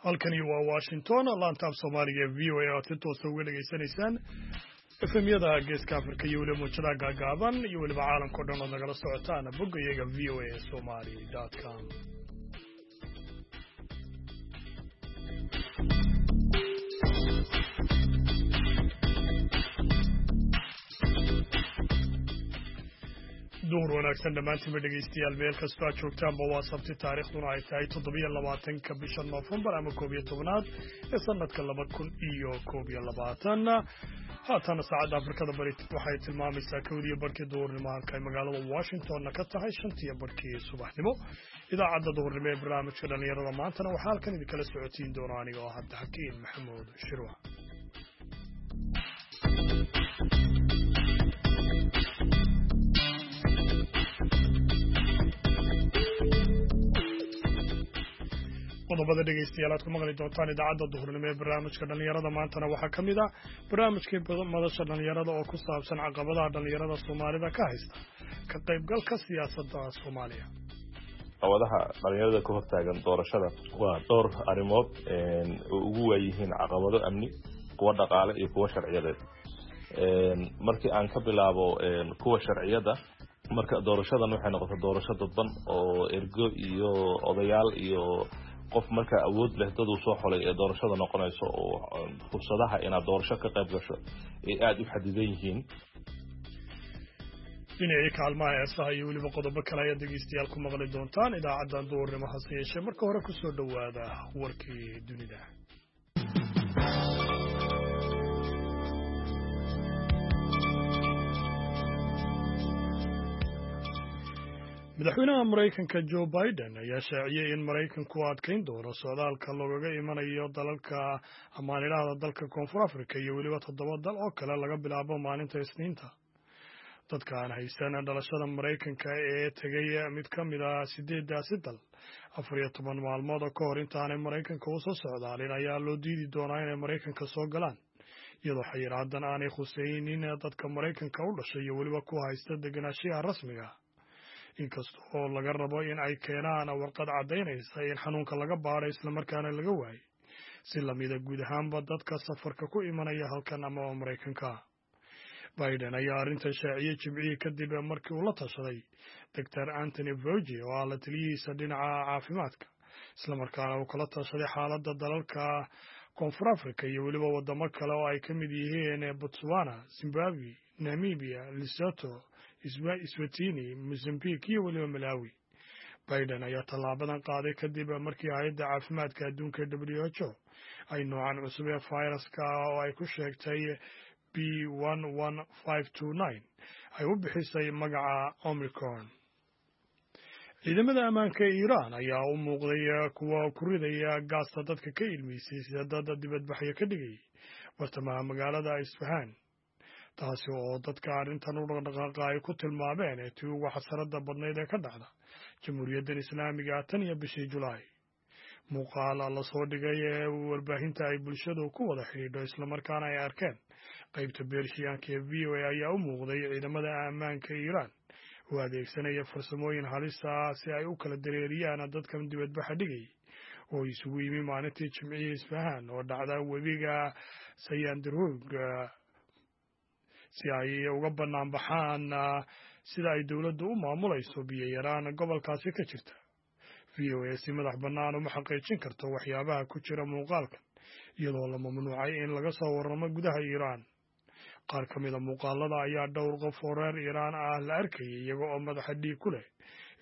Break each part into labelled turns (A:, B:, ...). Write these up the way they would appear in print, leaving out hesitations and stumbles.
A: Halkani waa Washington, laanta af Soomaaliga ee VOA, aad si toosa uga dhegaysanaysaan FM-yada Geeska Afrika iyo weliba muujadaha gaagaaban iyo weliba caalamka o dhan ood nagala socotaan bogga iyaga voasomali.com. Duhur wanaagsan dhammaantiinba dhegaystayaal, meel kastoo aad joogtaanba. Waa Sabti, taariikhduna ay tahay 27-ka bisha Noofembar ama 11aad ee sanadka 2021. Haatana saacadda Afrikada Bari waxay tilmaamaysaa 1:30 duhurnimo, halka ay magaalada Washingtonna ka tahay 5:30 subaxnimo. Idaacadda duhurnimo ee barnaamijka dhallinyarada maantana waxaa halkan idinkala socotiin doona aniga oo Cabdixakiin Maxamuud Shirwac. Qodobada dhegaystayaal aad ku maqli doontaan idaacadda duhurnimo ee barnaamijka dhallinyarada maantana waxaa ka mid ah barnaamijkii madasha dhallinyarada oo ku saabsan caqabadaha dhallinyarada Soomaalida ka haysta ka qaybgalka siyaasadda Soomaaliya.
B: Caqabadaha dhalinyarada ka hortaagan doorashada waa dhowr arrimood oo ugu waayihiin caqabado amni, kuwa dhaqaale iyo kuwa sharciyadeed. Markii aan ka bilaabo kuwa sharciyadda, marka doorashadan waxay noqotay doorasho dadban oo ergo iyo odayaal iyo qof markaa awood leh dad uu soo xolay ee doorashada noqonayso, oo fursadaha inaad doorasho ka qayb gasho ay aada u xadidan yihiin.
A: Dhinacii kaalmaha heesaha iyo weliba qodobo kale ayaad dhegeystayaal ku maqli doontaan idaacaddan duhurnimo, hase yeeshee marka hore kusoo dhowaada warkii dunida. Madaxweynaha Maraykanka Joe Biden ayaa shaaciyey in Maraykanku adkayn doono socdaalka loogaga imanayo dalalka amaanidhahda dalka Koonfur Africa iyo weliba toddoba dal oo kale laga bilaabo maalinta Isniinta. Dadka aan haysan dhalashada Maraykanka ee tegay mid ka mid ah sideedaasi dal 14 maalmood ka hor intaanay Maraykanka u soo socdaalin ayaa loo diidi doonaa inay Maraykanka soo galaan, iyadoo xayiraadan aanay khuseynin dadka Maraykanka u dhashay iyo weliba kuwa haysta degenaanshiyaha rasmiga, inkasta oo laga rabo in ay keenaan warqad caddaynaysa in xanuunka laga baadhay islamarkaana laga waayay, si lamida guud ahaanba dadka safarka ku imanaya halkan ama Maraykanka. Biden ayaa arrintan shaaciyey Jimcihii kadib markii uu la tashaday Doctor Anthony Fauci oo ah la taliyihiisa dhinaca caafimaadka, islamarkaana uu kala tashaday xaaladda dalalka Koonfur Africa iyo weliba waddamo kale oo ay ka mid yihiin Botswana, Zimbabwe, Namibia, Lesotho, Eswatini, Mozambique iyo weliba Malawi. Biden ayaa tallaabadan qaaday kadib markii Hay'adda Caafimaadka Adduunka WHO ay noocan cusub ee fayraska oo ay ku sheegtay B.1.1.529 ay u bixisay magaca Omicron. Ciidamada ammaanka ee Iiraan ayaa u muuqday kuwa ku ridaya gaasta dadka ka ilmeysay sida dad dibadbaxyo ka dhigayay bartamaha magaalada Isfahaan, taasi oo dadka arrintan u dhaqdhaqaaqa ay ku tilmaameen tii ugu xasarada badnayd ee ka dhacda Jamhuuriyaddan Islaamiga tan iyo bishii Julaay. Muuqaal la soo dhigay ee warbaahinta ay bulshadu ku wada xidhiidho islamarkaana ay arkeen qaybta Beershiyaanka ee VOA ayaa u muuqday ciidamada ammaanka Iiraan oo adeegsanaya farsamooyin halis ah si ay u kala dareeriyaan dadkan dibadbaxa dhigayay oo isugu yimi maalintii Jimcihii Isfahaan oo dhacda webiga Sayandarug, si ay uga bannaan baxaan sida ay dowladdu u maamulayso biyo yaraan gobolkaasi ka jirta. VOA si madax bannaan uma xaqiijin karto waxyaabaha ku jira muuqaalkan, iyadoo la mamnuucay in laga soo warramo gudaha Iiraan. Qaar ka mida muuqaalada ayaa dhowr qof oo reer Iiraan ah la arkayay iyaga oo madaxa dhiig ku leh,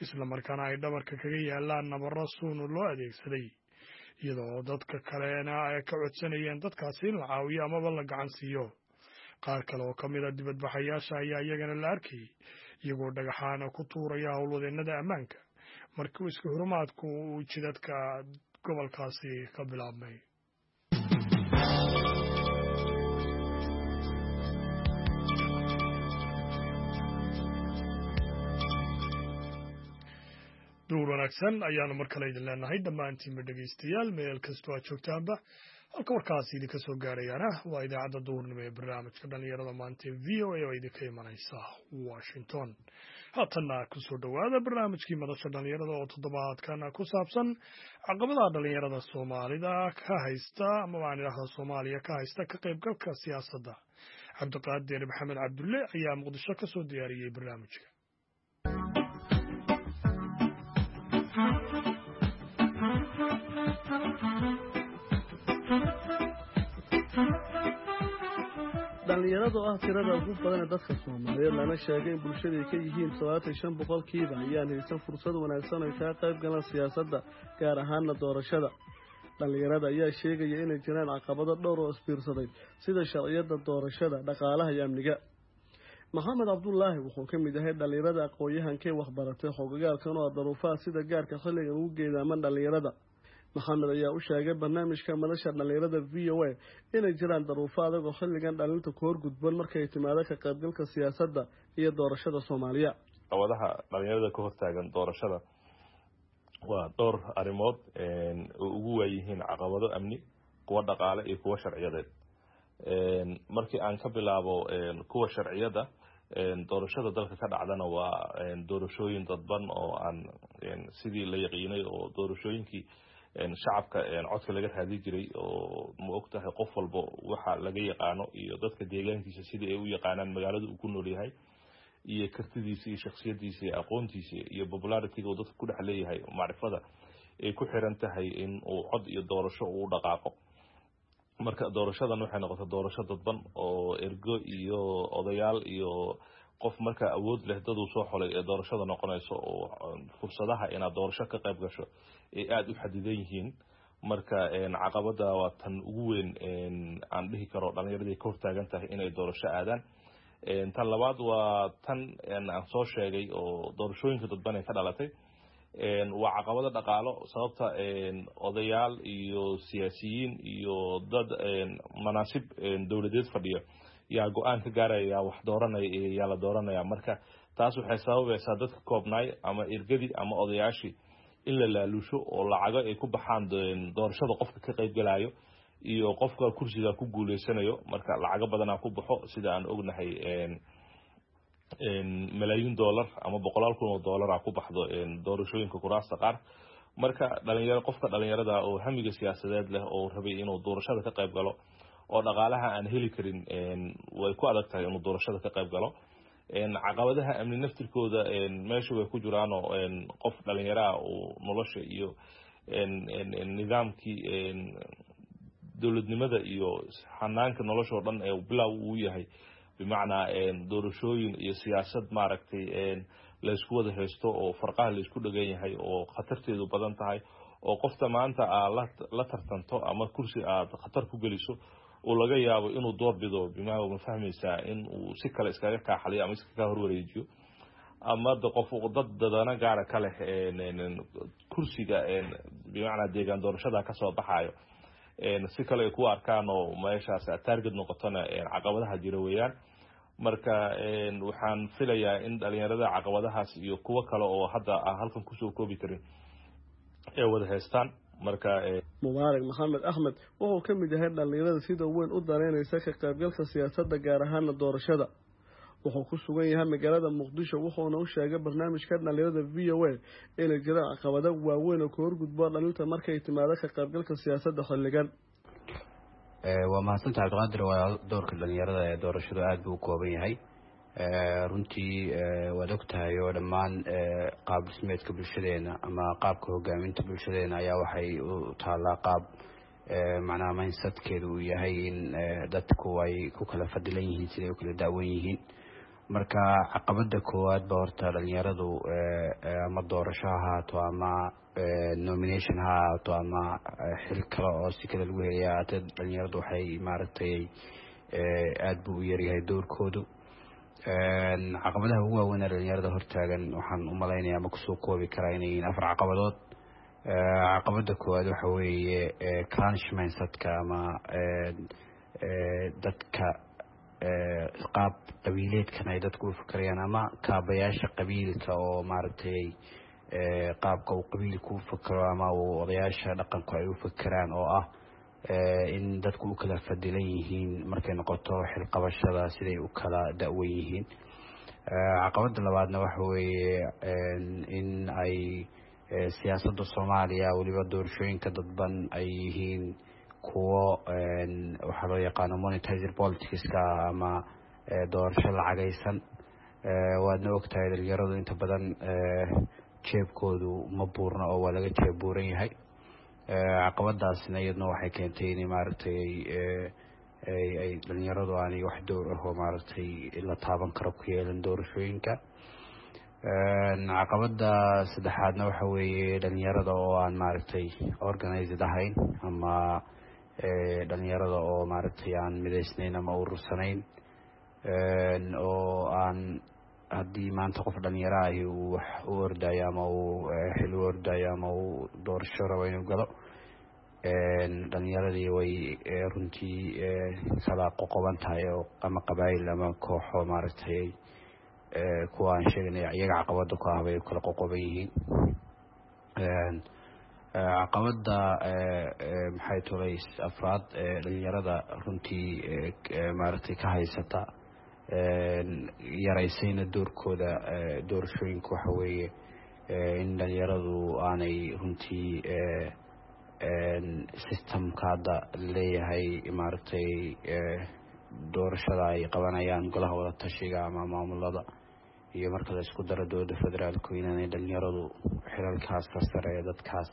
A: islamarkaana ay dhabarka kaga yaalaan nabarro suun loo adeegsaday, iyadoo dadka kalena ay ka codsanayeen dadkaasi in la caawiyo amaba la gacan siiyo. Qaar kale oo ka mid a dibadbaxayaasha ayaa iyagana la arkayay iyagoo dhagaxaana ku tuuraya howlwadeennada ammaanka markii iska hurumaadku uu jidadka gobolkaasi ka bilaabmay. Duur wanaagsan ayaanu mar kale idin leenahay dhammaantiinba dhegaystayaal, meel kastoo aad joogtaanba. Halka warkaasi idinka soo gaarayaana waa idaacadda duhurnimo ee barnaamijka dhallinyarada maanta ee VOA oo idinka imanaysa Washington. Haatanna kusoo dhowaada barnaamijkii Madasha Dhallinyarada oo toddobaadkan ku saabsan caqabadaha dhallinyarada Soomaalida ka haysta, ama waan idhaahda Soomaaliya ka haysta, ka qaybgalka siyaasadda. Cabdiqaadir Maxamed Cabdulle ayaa Muqdisho ka soo diyaariyey barnaamijka.
C: Dhallinyarada oo ah tirada ugu badan ee dadka Soomaaliyeed, lana sheegay in bulshada ka yihiin 75%, ayaan haysan fursad wanaagsan ay kaga qayb galaan siyaasadda, gaar ahaana doorashada. Dhallinyarada ayaa sheegaya inay jiraan caqabado dhowr oo isbiirsaday, sida sharciyada doorashada, dhaqaalaha iyo amniga. Maxamed Cabdulaahi wuxuu ka mid yahay dhallinyarada aqoon-yahankee waxbaratay xogagaalkan oo daruufaha sida gaarka xilligan ugu geedaaman dhallinyarada. Maxamed ayaa u sheegay barnaamijka Madasha Dhallinyarada VOA inay jiraan daruufo adag oo xilligan dhalinta ku horgudban markay timaado ka qaybgalka siyaasadda iyo doorashada Soomaaliya.
B: Caqabadaha dhalinyarada ka hortaagan doorashada waa dhowr arrimood oo ugu waayihiin caqabado amni, kuwa dhaqaale iyo kuwa sharciyadeed. Markii aan ka bilaabo kuwa sharciyada, doorashada dalka ka dhacdana waa doorashooyin dadban oo aan sidii la yaqiinay oo doorashooyinkii shacabka codka laga raadi jiray, oo ma og tahay qof walba waxa laga yaqaano iyo dadka deegaankiisa sidii ay u yaqaanaan magaalada uu ku nool yahay iyo kartidiisa iyo shaksiyadiisa iyo aqoontiisa iyo popularity-ga uu dadka ku dhex leeyahay, macrifada ay ku xiran tahay in uu cod iyo doorasho uu dhaqaaqo. Marka doorashadan waxay noqotay doorasho dadban oo ergo iyo odayaal iyo qof markaa awood leh daduu soo xolay ee doorashada noqonayso, oo fursadaha inaad doorasho ka qayb gasho ay aada u xadidan yihiin. Marka caqabada waa tan ugu weyn aan dhihi karo dhalinyaradii ka hortaagan tahay inay doorasho aadaan. Tan labaad waa tan aan soo sheegay oo doorashooyinka dadban ee ka dhalatay, waa caqabado dhaqaalo. Sababta odayaal iyo siyaasiyiin iyo dad manaasib dowladeed fadhiyo yaa go-aan ka gaaraya yaa wax dooranaya iyo yaa la dooranaya. Marka taas waxay sababaysaa dadka koobnaay ama ergadii ama odayaashii in la laalusho oo lacago ay ku baxaan doorashada qofka ka qaybgalayo iyo qofka kursiga ku guuleysanayo. Marka lacago badanaa ku baxo, sida aan ognahay malaayiin dollar ama boqolaal kun oo dollara ku baxdo doorashooyinka kuraasta qaar. Marka dhalinyaro, qofka dhalinyarada oo hamiga siyaasadeed leh oo rabay inuu doorashada ka qayb galo oo dhaqaalaha aan heli karin, way ku adag tahay inuu doorashada ka qayb galo. Caqabadaha amni naftirkooda meesha way ku jiraanoo qof dhalinyaraha uu nolosha iyo nidaamkii dowladnimada iyo xanaanka nolosha oo dhan ee bilow uu yahay, bimacnaa doorashooyin iyo siyaasad maaragtay laysku wada haysto oo farqaha laysku dhegan yahay oo khatarteedu badan tahay, oo qofta maanta aad la tartanto ama kursi aad khatar ku geliso oo laga yaabo inuu doorbido, bima ma fahmaysaa, in uu si kale iskaga kaaxaliyo ama iskaga horwareejiyo, ama de qof dad dadana gaara ka leh kursiga, bimacnaa deegaan doorashada kasoo baxayo, si kale ay ku arkaan oo meeshaas target noqotona, caqabadaha jira weeyaan. Marka waxaan filayaa in dhalinyarada caqabadahaas iyo kuwo kale oo hadda aan halkan kusoo koobi karin ay wada haystaan. Marka
C: Mubaarak Maxamed Axmed wuxuu ka mid yahay dhallinyarada sida weyn u daneynaysa ka qaybgalka siyaasadda, gaar ahaana doorashada. Wuxuu ku sugan yahay magaalada Muqdisho, wuxuuna u sheegay barnaamijka dhallinyarada VOA inay jiraan caqabado waaweyn oo ka horgudbo dhalinta markay timaado ka qaybgalka siyaasadda xilligan.
D: Waa mahadsanta, Cabdiqaadir. Waa doorka dhalinyarada ee doorashadu aada buu u kooban yahay runtii. Waad og tahay oo dhammaan qaab dhismeedka bulshadeena ama qaabka hogaaminta bulshadeena ayaa waxay u taallaa qaab macnaha mindsetkeedu uu yahay in dadku ay ku kala fadilan yihiin siday u kala daawan yihiin. Marka caqabada koowaad ba horta dhalinyaradu, ama doorasho ha ahaato ama nomination ha ahaato ama xil kale oo si kale lagu helaya ahaatee, dhalinyaradu waxay maaragtay aada buu u yaryahay doorkoodu. Caqabadaha ugu waaweyn ee dhalinyarada hortaagan waxaan u malaynaya ama kusoo koobi karaa inay yihiin afar caqabadood. Caqabada koowaad waxa weeye clannish mindsetka ama dadka qaab qabiileedkan ay dadku u fakerayaan ama kaabayaasha qabiilka oo maaragtay qaabka uu qabiilku u fakero ama uu odayaasha dhaqanku ay u fakeraan, oo ah in dadku u kala fadilan yihiin markay noqoto xilqabashada siday u kala da-wen yihiin. Caqabada labaadna waxa weeye in ay siyaasadda Soomaaliya, weliba doorashooyinka dadban, ay yihiin kuwo waxaa loo yaqaano monetized politicska ama doorasho lacagaysan. Waadna ogtahay, dhalinyaradu inta badan jeebkoodu ma buurna oo waa laga jeeb buuran yahay. Caqabadaasna iyadna waxay keentay inay maaragtay ay dhalinyaradu aanay wax door ah oo maaragtay la taaban karo ku yeelan doorashooyinka. Caqabada saddexaadna waxa weeye dhalinyarada oo aan maaragtay organized ahayn ama dhalinyarada oo maaragtay aan midaysnayn ama urursanayn, oo aan haddii maanta qof dhalinyaro ahi uu wax u ordayo ama uu xil u ordayo ama uu doorasho rabo inuu galo, dhalinyaradii way runtii kala qoqoban tahay oo ama qabaayil ama kooxo maaragtay kuwa aan sheeganay iyaga caqabada ku ah bay kala qoqoban yihiin. Caqabada maxay tulay afraad dhalinyarada runtii maaragtay ka haysata, yaraysayna doorkooda doorashooyinka, waxa weeye in dhalinyaradu aanay runtii systemka hadda leeyahay maaragtay doorashada ay qabanayaan golaha wada tashiga ama maamulada iyo marka la isku daro dowladda federaalku inaanay dhalinyaradu xilalkaas ka sare ee dadkaas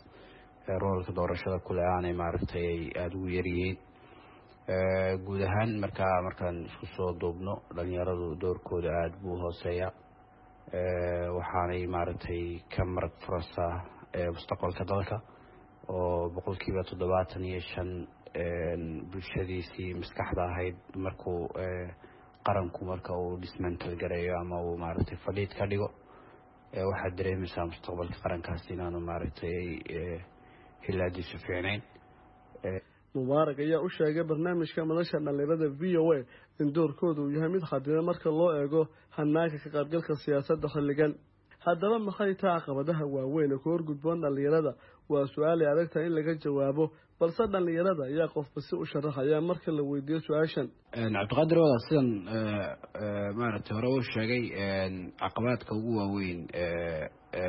D: roolka doorashada kule aanay maaragtay ay aada ugu yaryihiin guud ahaan. Markaa markaan isku soo duubno, dhalinyaradu doorkooda aada buu hooseeya, waxaanay maaragtay ka marag furasa mustaqbalka dalka oo 75% bulshadiisii maskaxda ahayd markuu qaranku marka uu dismantle gareeyo ama uu maaragtay fadhiid ka dhigo, waxaad dareemaysaa mustaqbalka qarankaas inaanu maaragtay hilaadiisu fiicnayn.
C: Mubaarak ayaa u sheegay barnaamijka madasha dhalinyarada VOA in doorkooda uu yahay mid xadidan marka loo eego hanaanka ka qaybgalka siyaasadda xilligan. Haddaba maxay taha caqabadaha waaweyn ee ku horgudboon dhalinyarada? Waa su-aal ay adagtahay in laga jawaabo, balse dhalinyarada ayaa qofba si u sharaxaya marka la weydiiyo su-aashan.
D: Cabdiqaadir, wada sidan maaragtay hore uu sheegay, caqabaadka ugu waaweyn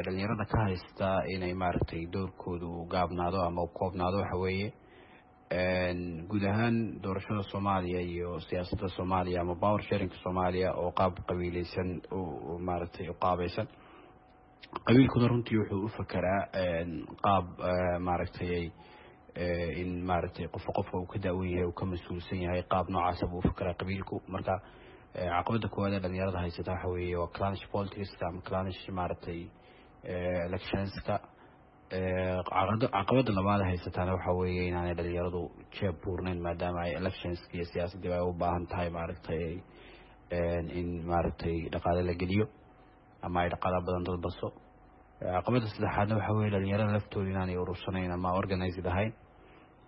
D: dhalinyarada ka haysta inay maaragtay doorkooda uu gaabnaado ama u koobnaado waxa weeye guud ahaan doorashada Soomaaliya iyo siyaasadda Soomaaliya ama power sharingka Soomaaliya oo qaab qabiileysan maaragtay u qaabaysan. Qabiilkuna runtii wuxuu u fakeraa qaab maaragtay in maaragtay qofka qofka uu ka daawan yahay, uu ka mas-uulsan yahay, qaab noocaasa buu u fakeraa qabiilku. Marka caqabada koowaad ee dhalinyarada haysata waxa weeye waa clannish politicska ama clannish maaragtay electionska. Caqabada labaad haysataana waxa weeye inaanay dhalinyaradu jeeb buurnayn, maadaama ay electionska iyo siyaasaddiiba ay u baahan tahay maaragtay in maaragtay dhaqaale la geliyo ama ay dhaqaala badan dad baso. Caqabada saddexaadna waxa weye dhalinyarada laftooda inaanay urursanayn ama organized ahayn,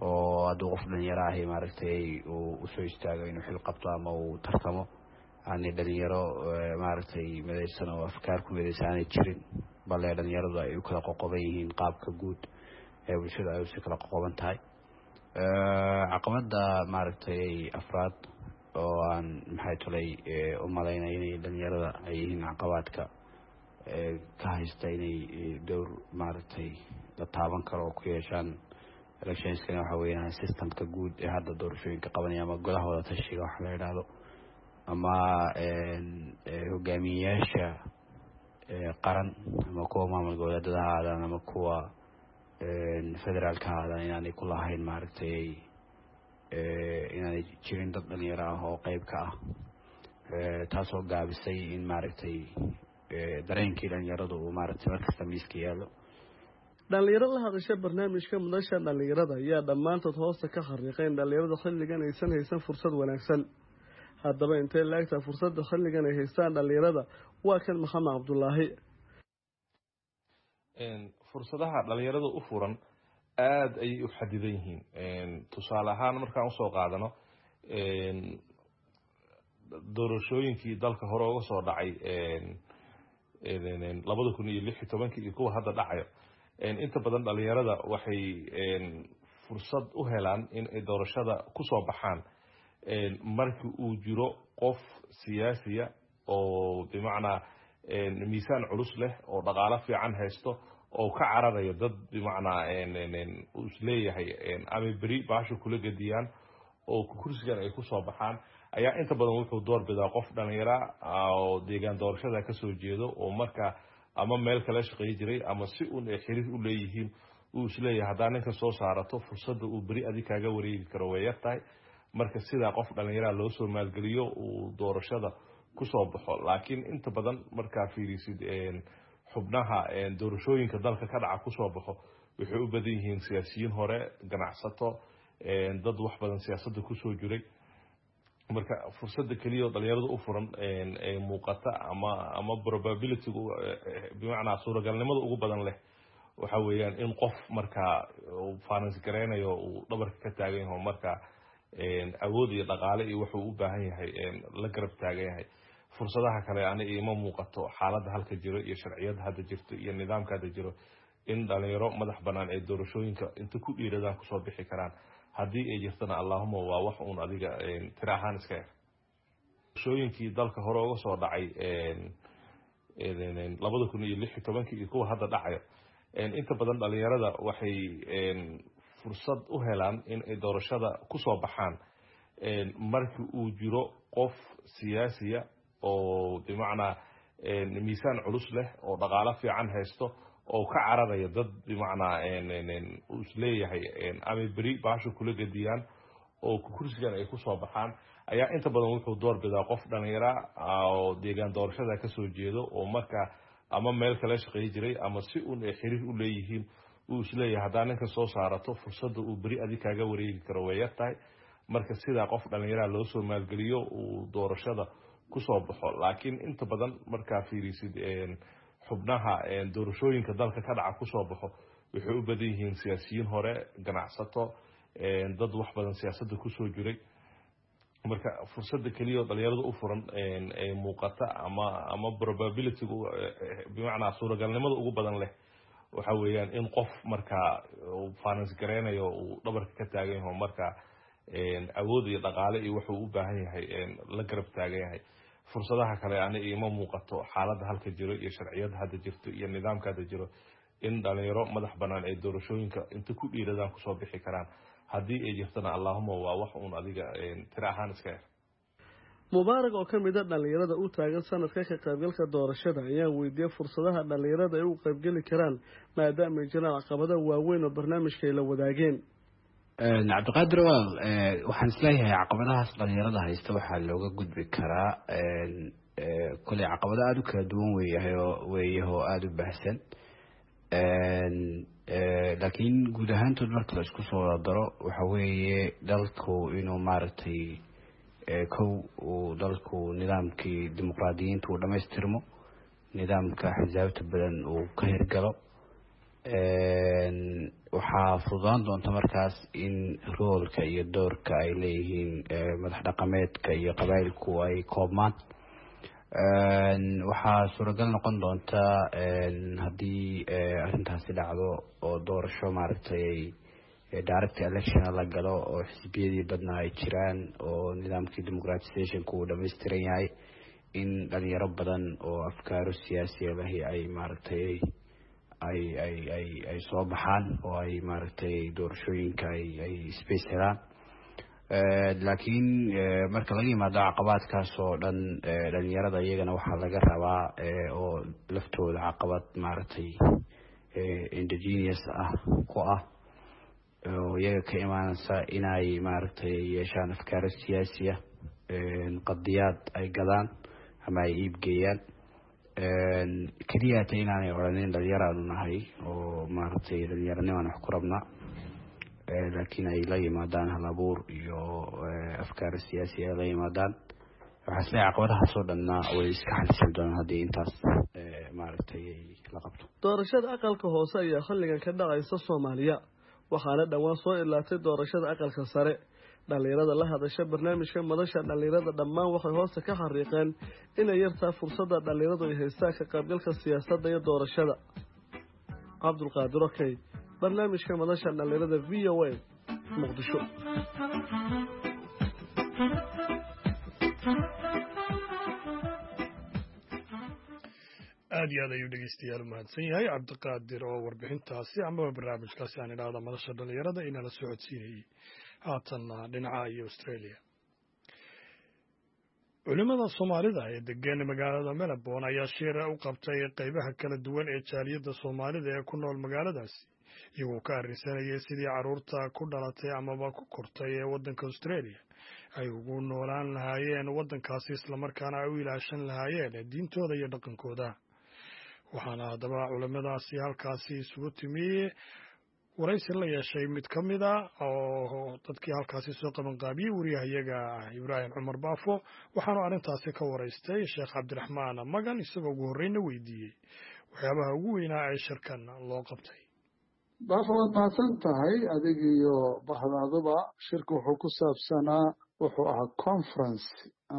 D: oo hadduu qof dhalinyaro ahi maaragtay uu usoo istaago inuu xil qabto ama uu tartamo, aanay dhalinyaro maaragtay midaysan oo afkaar ku midaysan aanay jirin, bale dhalinyaradu ay u kala qoqoban yihiin qaabka guud ee bulshada ay usi kala qoqoban tahay. Caqabada maaragtay afraad oo aan maxay tulay u malaynaya inay dhalinyarada ay yihiin caqabaadka ka haysta inay dowr maaragtay la taaban karo oo ku yeeshaan electionskana waxa weeyaan systemka guud ee hadda doorashooyinka qabanaya ama golaha wada tashiga waxa la yidhaahdo ama hogaamiyeyaasha qaran ama kuwa maamul goboleedada ha aadaan ama kuwa federaalka ha aadaan, inaanay ku lahayn maaragtay inaanay jirin dad dhalinyaro ah oo qeyb ka ah, taasoo gaabisay in maaragtay dareenkii dhalinyaradu uu maaragtay markasta miiska yaallo.
C: Dhalinyaro la hadasha barnaamijka madasha dhalinyarada ayaa dhammaantood hoosta ka xariiqay in dhalinyarada xilligan aysan haysan fursad wanaagsan. Haddaba intay laagtaa fursadda xilligan ay haystaan dhalinyarada? Waa kan Maxamed Cabdulaahi.
B: Fursadaha dhalinyarada u furan aada ayay u xadidan yihiin. Tusaale ahaan, markaan usoo qaadano doorashooyinkii dalka hore uga soo dhacay 2016-kii iyo kuwa hadda dhacayo, inta badan dhalinyarada waxay fursad u helaan in ay doorashada kusoo baxaan markii uu jiro qof siyaasiya oo bimacnaa miisaan culus leh oo dhaqaalo fiican haysto oo ka cararayo dad bimacnaa uu isleeyahay ama beri baasha kula gediyaan oo kursigan ay kusoo baxaan, ayaa inta badan wuxuu door bidaa qof dhalinyara oo deegaan doorashada kasoo jeedo oo marka ama meel kala shaqeey jiray ama si uun ay xiriir u leeyihiin, uu isleeyahay haddaa ninka soo saarato fursadda uu beri adig kaaga wareegi karo way yar tahay. Marka sidaa qof dhalinyaraa loo soo maalgeliyo uu doorashada kusoo baxo. Laakiin inta badan markaa fiirisid xubnaha doorashooyinka dalka ka dhaca kusoo baxo, waxay u badan yihiin siyaasiyiin hore, ganacsato, dad wax badan siyaasadda kusoo jiray. Marka fursadda keliya oo dhalinyarada u furan ee muuqata ama probabilitygu, bimacnaa suuragalnimada ugu badan leh, waxa weeyaan in qof markaa finance gareynayo uu dhabarka ka taagan yaho, marka awood iyo dhaqaale iyo wuxuu u baahan yahay la garab taagan yahay. Fursadaha kale ani iima muuqato, xaaladda halka jiro iyo sharciyadda hadda jirto iyo nidaamka hadda jiro, in dhalinyaro madax banaan ee doorashooyinka inta ku dhiiradaan kusoo bixi karaan. Haddii ay jirtana, allahuma waa wax uun adiga tira ahaan iska yar. Doorashooyinkii dalka hore uga soo dhacay 2016-kii iyo kuwa hadda dhacayo, inta badan dhalinyarada waxay fursad u helaan in ay doorashada kusoo baxaan markii uu jiro qof siyaasiya oo bimacnaa miisaan culus leh oo dhaqaalo fiican haysto oo ka cararaya dad bimacnaa uu isleeyahay ama beri baasha kula gediyaan oo kursigan ay kusoo baxaan, ayaa inta badan wuxuu door bidaa qof dhalinyara oo deegaan doorashada kasoo jeedo oo marka ama meel kala shaqeey jiray ama si uun ay xiriir u leeyihiin, uu isleeyahay haddaa ninka soo saarato fursadda uu beri adig kaaga wareegi karo way yar tahay. Marka sidaa qof dhalinyaraa loo soo maalgeliyo uu doorashada kusoo baxo. Laakiin inta badan markaa fiirisid xubnaha doorashooyinka dalka ka dhaca kusoo baxo, waxay u badan yihiin siyaasiyiin hore, ganacsato, dad wax badan siyaasadda kusoo jiray. Marka fursadda keliya oo dhalinyarada u furan ee muuqata ama probabilitygu, bimacnaa suuragalnimada ugu badan leh, waxa weeyaan in qof markaa finance gareynayo uu dhabarka ka taagan yaho, marka awood iyo dhaqaale iyo wuxuu u baahan yahay la garab taagan yahay. Fursadaha kale ani iima muuqato, xaaladda halka jiro iyo sharciyadda hadda jirto iyo nidaamka hadda jiro, in dhalinyaro madax banaan ee doorashooyinka inta ku dhiiradaan kusoo bixi karaan. Haddii ay jirtana, allahuma waa wax uun adiga tira ahaan iska yar.
C: Mubaarak oo ka mid a dhallinyarada u taagan sanadka ka qaybgalka doorashada ayaa weydiiyey fursadaha dhallinyarada ay u qaybgeli karaan, maadaama ay jiraan caqabada waaweyn oo barnaamijka ay la wadaageen.
D: Cabdiqaadir walaal, waxaan isleeyahay caqabadahaas dhalinyarada haysta waxaa looga gudbi karaa, koley caqabado aada u kala duwan weeyahay oo weeyahoo aada u baahsan, laakiin guud ahaantood marka la isku soo wada daro, waxa weeye dalku inuu maaragtay kow uu dalku nidaamkii dimuqraadiyiinta uu dhamaystirmo, nidaamka xisaabta badan uu ka hirgalo. Waxaa fududaan doonta markaas in roolka iyo doorka ay leeyihiin madax dhaqameedka iyo qabaayilku ay koobmaan. Waxaa suuragal noqon doonta haddii arrintaasi dhacdo oo doorasho maaragtay direct election la galo oo xisbiyadii badnaa ay jiraan oo nidaamkii democratizationka uu dhammaystiran yahay, in dhalinyaro badan oo afkaaro siyaasiya lahi ay maaragtay ay soo baxaan oo ay maaragtay doorashooyinka ay space helaan. Laakiin marka laga yimaado caqabaadkaas oo dhan, dhalinyarada iyagana waxaa laga rabaa oo laftooda caqabad maaragtay indigenous ah ku ah oo iyaga ka imaaneysa inay maaragtay yeeshaan afkaaro siyaasiya, qadiyaad ay gadaan ama ay iibgeeyaan. Keliyaata inaanay odhanin dhalinyaraanu nahay oo maaragtay dhalinyaranimaan wax ku rabnaa, laakiin ay la yimaadaan hal abuur iyo afkaaro siyaasi ay la yimaadaan. Waxaa isleeyahay caqabadahaasoo dhanna way iska xalismi doonaan haddii intaas maaragtay la qabto.
C: Doorashada aqalka hoose ayaa xilligan ka dhacaysa Soomaaliya, waxaana dhowaan soo ilaatay doorashada aqalka sare. Dhallinyarada la hadasha barnaamijka madasha dhallinyarada dhammaan waxay hoosta ka xariiqeen inay yartaa fursadda dhallinyaradu ay haystaan ka qaybgalka siyaasadda iyo doorashada. Cabdulqaadir Okey, barnaamijka madasha dhallinyarada VOA, Muqdisho.
A: Aad iyo aad ayuu dhegeystayaal umahadsan yahay Cabdiqaadir oo warbixintaasi amaba barnaamijkaasi aan idhaahda madasha dhallinyarada inala socodsiinayey. Haatanna dhinaca iyo Australia. Culimada Soomaalida ee degan magaalada Melbourne ayaa shir u qabtay qeybaha kala duwan ee jaaliyadda Soomaalida ee ku nool magaaladaasi, iyagoo ka arrinsanayay sidii carruurta ku dhalatay amaba ku kortay ee waddanka Australia ay ugu noolaan lahaayeen waddankaasi, islamarkaana ay u ilaashan lahaayeen diintooda iyo dhaqankooda. Waxaana haddaba culimadaasi halkaasi isugu timi waraysi la yeeshay mid ka mid a oo dadkii halkaasi soo qabanqaabiyey, wariyahayaga Ibraahim Cumar Baafo. Waxaanu arrintaasi ka waraystay Sheekh Cabdiraxmaan Magan, isagoo ugu horreyna weydiiyey waxyaabaha ugu weynaa ee shirkan loo qabtay.
E: Baafo, waad mahadsan tahay adig iyo bahdaaduba. Shirku wuxuu ku saabsanaa, wuxuu ahaa conference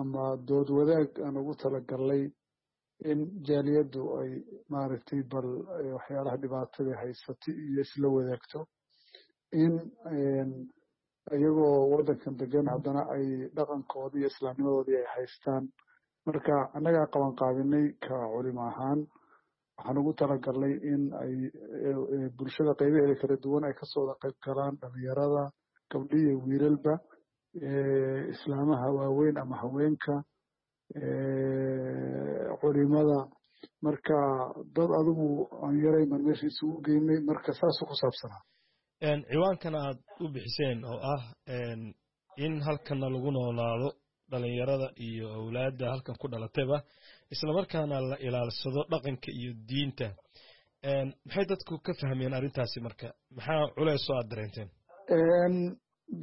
E: ama dood wadaag aan ugu talagalnay in jaaliyaddu ay maaragtay bal waxyaalaha dhibaatada haysatay iyo isla wadaagto, in iyagoo waddankan degan haddana ay dhaqankoodii iyo islaamnimadoodii ay haystaan. Marka annagaa qaban qaabinay ka culimo ahaan. Waxaan ugu talagalnay in ay bulshada qaybaheeda kala duwan ay kasoo wada qayb galaan, dhalinyarada, gabdho iyo wiilalba, islaamaha waaweyn ama haweenka, culimada. Marka dad adigu aan yarayn baan meesha isugu geynay. Marka saasuu ku saabsanaa.
F: Ciwaankan aad u bixiseen oo ah in halkanna lagu noolaado dhalinyarada iyo awlaadda halkan ku dhalatayba, islamarkaana la ilaalsado dhaqanka iyo diinta, maxay dadku ka fahmeen arrintaasi? Marka maxaa culeys oo aad dareenteen?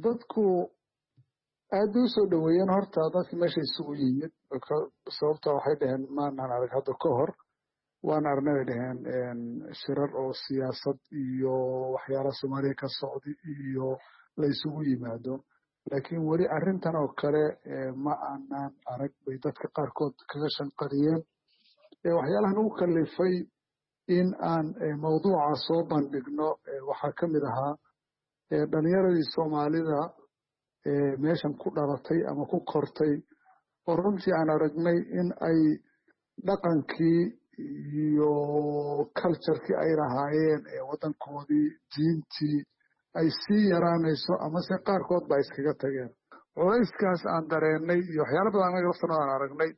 E: Dadku aad bay usoo dhoweeyeen horta dadki meesha isugu yimid, sababta waxay dhaheen maanaan arag hadda ka hor. Waan aragnay, bay dhaheen, shirar oo siyaasad iyo waxyaalaha Soomaaliya ka socda iyo la isugu yimaado, laakiin weli arrintan oo kale ma aanaan arag, bay dadka qaarkood kaga shanqariyeen. Waxyaalahan ugu kalifay in aan mawduuca soo bandhigno waxaa ka mid ahaa dhalinyaradii Soomaalida meeshan ku dhalatay ama ku kortay oo runtii aan aragnay in ay dhaqankii iyo culturekii ay lahaayeen ee waddankoodii, diintii ay sii yaraanayso amase qaarkood ba iskaga tageen. Culayskaas aan dareennay iyo waxyaala badan annaga laftana aan aragnay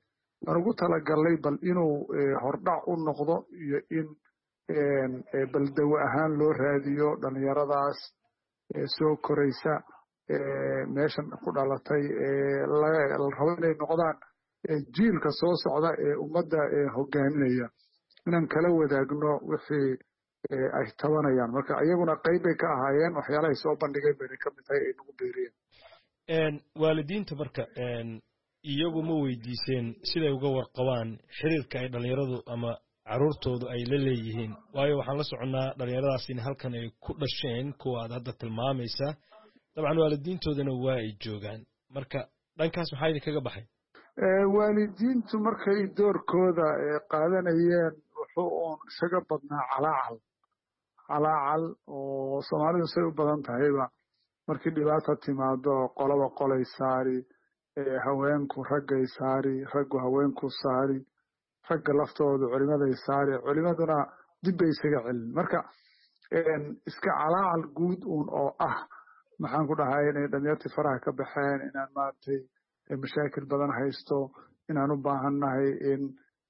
E: aan ugu talagalnay bal inuu hordhac u noqdo iyo in bal dawo ahaan loo raadiyo dhalinyaradaas soo koraysa, meeshan ku dhalatay, la rabo inay noqdaan jiilka soo socda ee ummadda hogaaminaya, inaan kala wadaagno wixii ay tabanayaan. Marka iyaguna qayb bay ka ahaayeen, waxyaalahay soo bandhigeen bayna ka mid tahay ay nagu beeriyeen.
F: Waalidiinta marka iyagu ma weydiiseen siday uga warqabaan xiriirka ay dhalinyaradu ama caruurtoodu ay la leeyihiin? Waayo waxaan la soconnaa dhalinyaradaas in halkan ay ku dhasheen, kuwa aad hadda tilmaamaysaa, dabcan waalidiintoodana waa ay joogaan. Marka dhankaas maxaa idinkaga baxay?
E: Waalidiintu markay doorkooda qaadanayeen wuxuu uun isaga badnaa calaacal, calaacal oo Soomaalidu say u badan tahayba markii dhibaata timaado qolaba qolay saari, haweenku raggay saari, raggu haweenku saari, ragga laftoodu culimaday saari, culimaduna dib bay isaga celin. Marka iska calaacal guud uun oo ah, maxaan ku dhahay, inay dhalinyartii faraha ka baxeen, inaan maaragtay mashaakil badan haysto, inaan u baahannahay in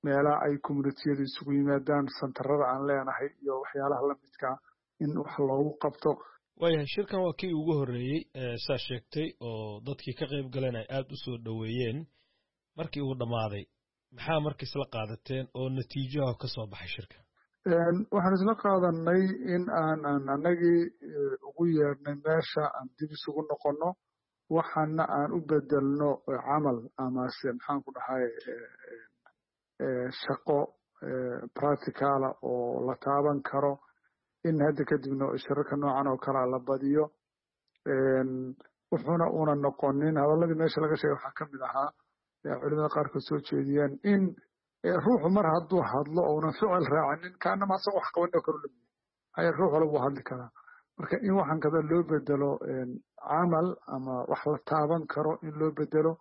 E: meelaha ay communitiyadu isugu yimaadaan, santarada aan leenahay iyo waxyaalaha lamidkaa in wax loogu qabto.
F: Waayahay, shirkan waa kii ugu horreeyey saa sheegtay oo dadkii ka qayb galeen ay aada u soo dhoweeyeen. Markii uu dhammaaday, maxaa marka isla qaadateen oo natiijaha ka soo baxay shirka?
E: Waxaan isla qaadanay in aan aan annagii ugu yeedhnay meesha aan dib isugu noqonno, waxaana aan u bedelno camal amase, maxaan ku dhahay, shaqo practicala oo la taaban karo, in hadda kadibna shirarka noocan oo kalea la badiyo. Wuxuuna una noqonin hadalladii meesha laga sheegay waxaa ka mid ahaa culimada qaarkood soo jeediyeen in ruuxu mar hadduu hadlo ounan ficil raacinin, kaanama asaga wax qabanin oo kale u lamiya haya, ruux walba wuu hadli karaa. Marka in waxaan kada loo bedelo camal ama wax la taaban karo in loo bedelo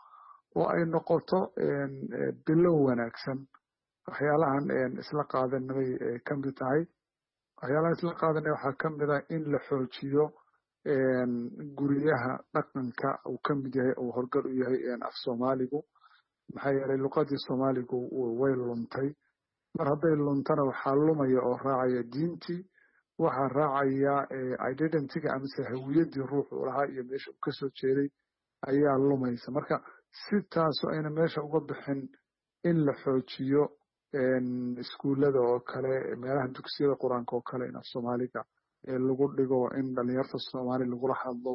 E: oo ay noqoto bilow wanaagsan. Waxyaalahan isla qaadanay ka mid tahay. Waxyaalahan isla qaadanay waxaa ka mid ah in la xoojiyo guryaha dhaqanka uu ka mid yahay, uu horgal u yahay af Soomaaligu, maxaa yeelay luqadii Soomaaligu way luntay. Mar hadday luntana waxaa lumaya oo raacaya diintii, waxaa raacaya identityga amase hawiyaddii ruuxu lahaa iyo meesha uu kasoo jeeday ayaa lumaysa. Marka si taasu ayna meesha uga bixin, in la xoojiyo iskuullada oo kale, meelaha dugsiyada qur-aanka oo kale, in af Soomaaliga lagu dhigo, in dhalinyarta Soomaali lagula hadlo.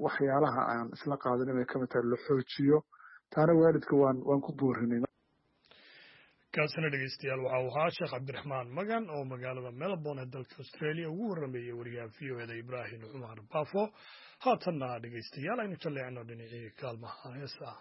E: Waxyaalaha aan isla qaadanin bay kamid tahay, la xoojiyo taana waalidka waan ku boorinay.
A: Kaasina dhegeystayaal waxa uu ahaa Sheekh Cabdiraxmaan Magan oo magaalada Melbourne ee dalka Australia ugu warrameeyey wariyaha VOA-da Ibraahim Cumar Baafo. Haatanna dhegeystayaal aynu jalleecno dhinacii kaalmaha heesaha.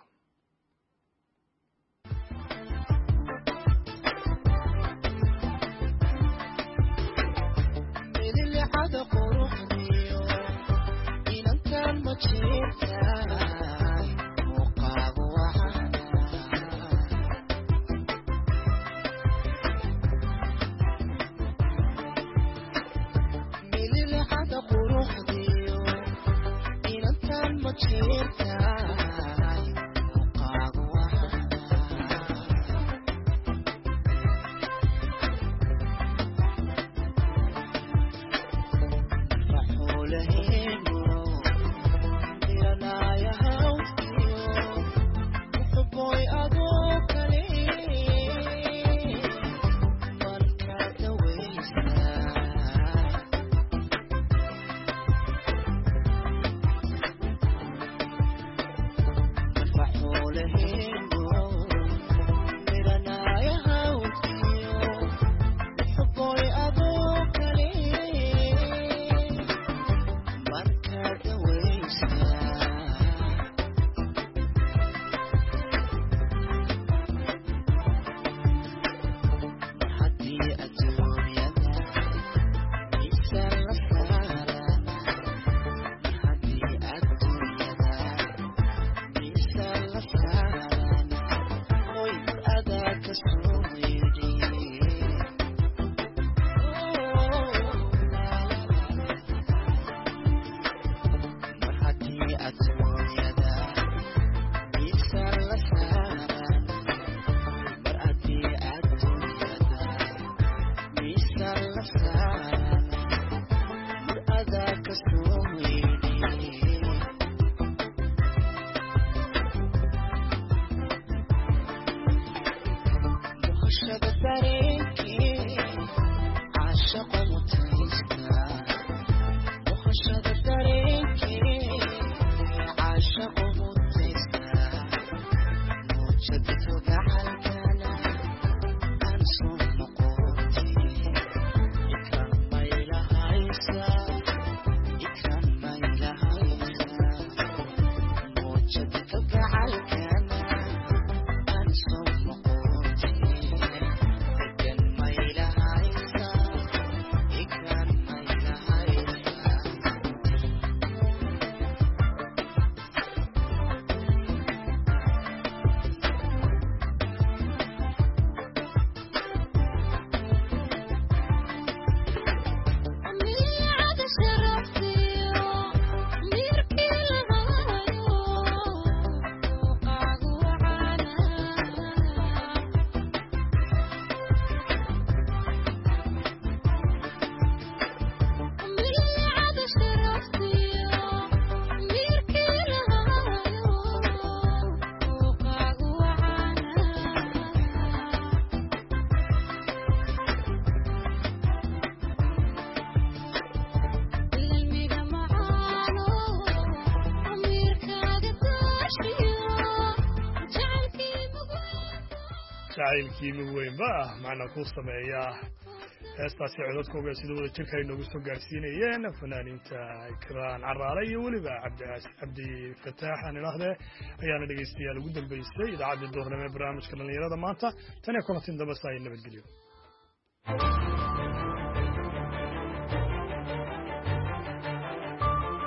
A: Jacaylkii mid weynba ah macna ku sameeya. Heestaasi codadkooga sida wada jirka ay noogu soo gaarsiinayeen fanaaniinta Ikraan Caraale iyo weliba Cabdi Fataax aan idhaahdee ayaana dhegaystayaal ugu dambeysay idaacaddii duhurnimo ee barnaamijka dhallinyarada maanta. Tan iyo kulantin dambe saa nabadgelyo.